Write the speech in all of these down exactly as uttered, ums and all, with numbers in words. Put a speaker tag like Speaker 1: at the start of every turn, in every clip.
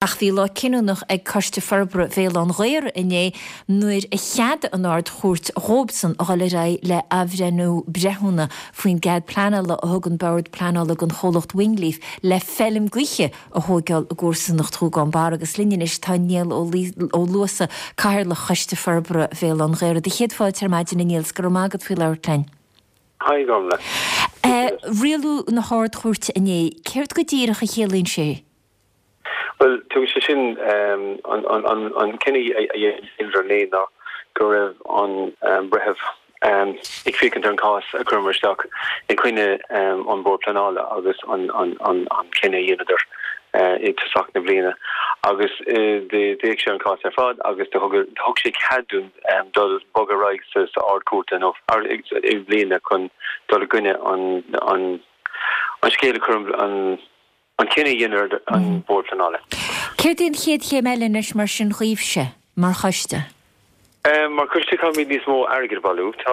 Speaker 1: Ach bhí lá cinniúnach ag Coiste Forbartha Bhéal Átha'n Ghaorthaidh inné nuair a cheadaigh an Ard-Chúirt dhóibhsan a dhul ar aghaidh le athbhreithniú breithiúna faoin gcead pleanála a thug an Bord Pleanála don chomhlacht Wingleaf le feilm gaoithe a thóigeáil i gcomharsanacht Ghúgán Barra. Agus linn anois tá Niall Ó Luasa, Cathaoirleach Choiste Forbartha Bhéal Átha'n Ghaorthaidh. Do chéad fáilte ar maidin a Niall, 's go raibh maith agat faoi labhairt linn.
Speaker 2: Hi Gormlaith.
Speaker 1: Rialú na hArd-Chúirte inné, céard go díreach a chiallaíonn sé?
Speaker 2: Well tugann sé sin an an an cinneadh a dhéanamh inné ná go raibh an breitheamh ag féachaint ar an cás a chuireamar isteach i gcoinne an Bord Pleanála agus an an an an cinneadh a dheineadar i dtosach na bliana agus d'fhéach sé an cás ar fad agus do thug thug sé cead dúinn dul bogadh ar aghaidh sa sa Ard-Chúirt nó i mbliana chun dul i gcoinne an an an scéal a chuir an an cinneadh a dhéanamh an Bord Pleanála.
Speaker 1: Céard é an chéad chéim eile anois mar sin dhaoibhse mar choiste?
Speaker 2: Mar choiste caithfimid níos mó airgid a bhailiú. Tá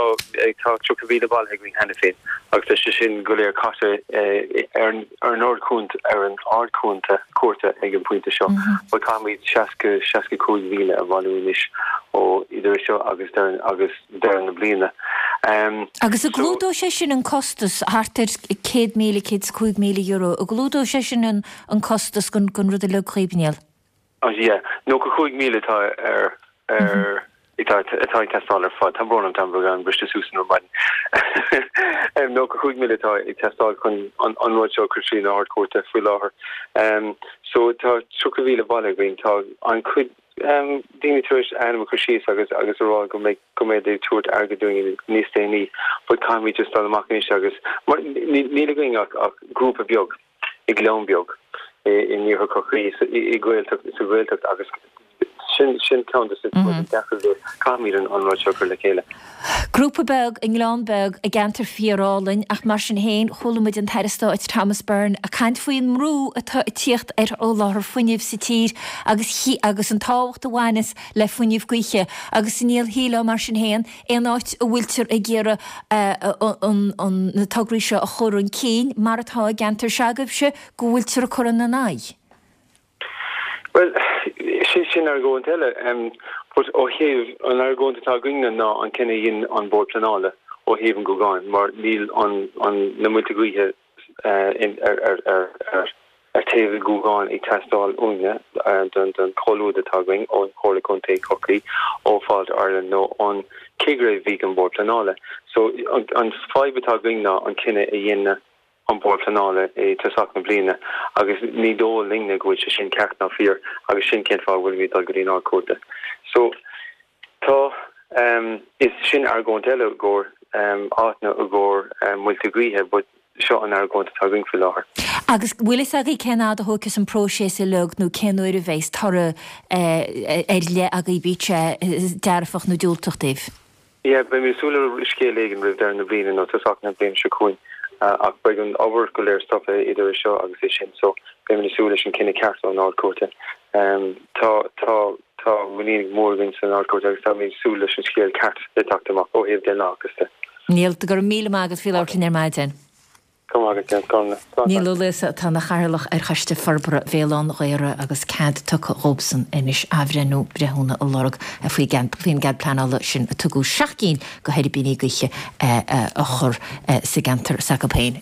Speaker 2: tá tríocha mhíle bailithe againn cheana féin agus tá sé sin go léir caite ar ar an Ard-Chúirt ar an Ard-Chúirt cúirte ag an pointe seo. But caithfimid seasca seasca cúig mhíle a bhailiú anois ó idir seo agus deireadh agus deireadh na bliana.
Speaker 1: Um, Agus an gclúdóidh sé sin an costas thart ar céad míle céad is cúig míle euro, an gclúdóidh sé sin an an costas gon gon rud uilig dhaoibh Niall?
Speaker 2: Oh yeah, nócha cúig míle atá ar ar atá atá ag teastáil ar fad. Tá brón orm tá an briste suas an maidin. Nócha cúig míle atá ag teastáil chun an an rud seo chur trí na hArd-Chúirte faoi láthair. Um, so tá tríocha mhíle bailithe againn tá an chuid um, daoine tar éis ainm a chur síos agus agus a rá go mbeidh go mbeidh ag tabhairt airgead dúinn níos déanaí, but caithfimid just dul amach anois agus mar níl againn ach ach grúpa beag i gleann beag in iarthar Chorcaí i Gaeltacht sa Ghaeltacht agus sin sin ceann de na deacrachtaí caithfimid an an rud seo chur le chéile.
Speaker 1: Grúpa beag i ngleann beag i gceantar fíorálainn ach mar sin féin chuala muid an tAire Stáit Thomas Byrne ag caint faoin mbrú atá ag tíocht ar sholáthar fuinnimh sa tír agus agus an tábhacht a bhaineas le fuinneamh gaoithe agus níl híle mar sin féin aon áit a bhfuiltear ag iarraidh na tograí seo a chur chun cinn mar atá i gceantar s'agaibhse go bhfuiltear ag cur ina n-aghaidh.
Speaker 2: Well sin sin argóint eile um, but ó thaobh an argóint atá againne ná an cinneadh a dhein an Bord Pleanála ó thaobh an Ghúgáin mar níl an an na muilte gaoithe uh, in ar ar ar ar ar taobh an Ghúgáin ag teastáil uainne uh, don don chomhluadar atá againn ón Chomhairle Contae Chorcaí ó Fáilte Ireland nó an cigire bhí an Bord Pleanála. So an, an fadhb atá againn ná an cinneadh a dhein an Bord Pleanála i dtosach na bliana agus ní dóigh linne go bhfuil sé sin ceart ná fíor agus sin cén fáth bhfuilimid dul go dtí an Ard-Chúirt. So tá um, is sin argóint eile gur um, áitna a gur um, muilte gaoithe, but seo an argóint atá againn faoi láthair.
Speaker 1: Agus bhfuil fhios agaibh cén fhad a thógfaidh an próiseas uilig nó cén uair a bheas toradh ar leith agaibh bíodh sé dearfach nó diúltach daoibh.
Speaker 2: Yeah, beidh mé súil le scéal éigin roimh deireadh na bliana nó tosach na bliana seo chugainn. ach beidh an obair go léir stoptha idir seo agus é sin so beidh mé súil leis an cinneadh ceart ón Ard-Chúirt. Um, tá tá tá muinín mór againn san Ard-Chúirt agus tá mé súil leis an scéal ceart le teacht amach ó thaobh den lá de.
Speaker 1: Niall go raibh míle maith agat faoi labhairt linn ar maidin. Niall Ó Luasa atá ina chathaoirleach ar Choiste Forbartha Bhéal Átha'n Ghaorthaidh agus cead tugtha dhóibhsan anois athbhreithniú breithiúna a lorg faoin gcead pleanála sin a tugadh seacht gcinn de thuirbíní gaoithe a chur sa gceantar s'acu féin.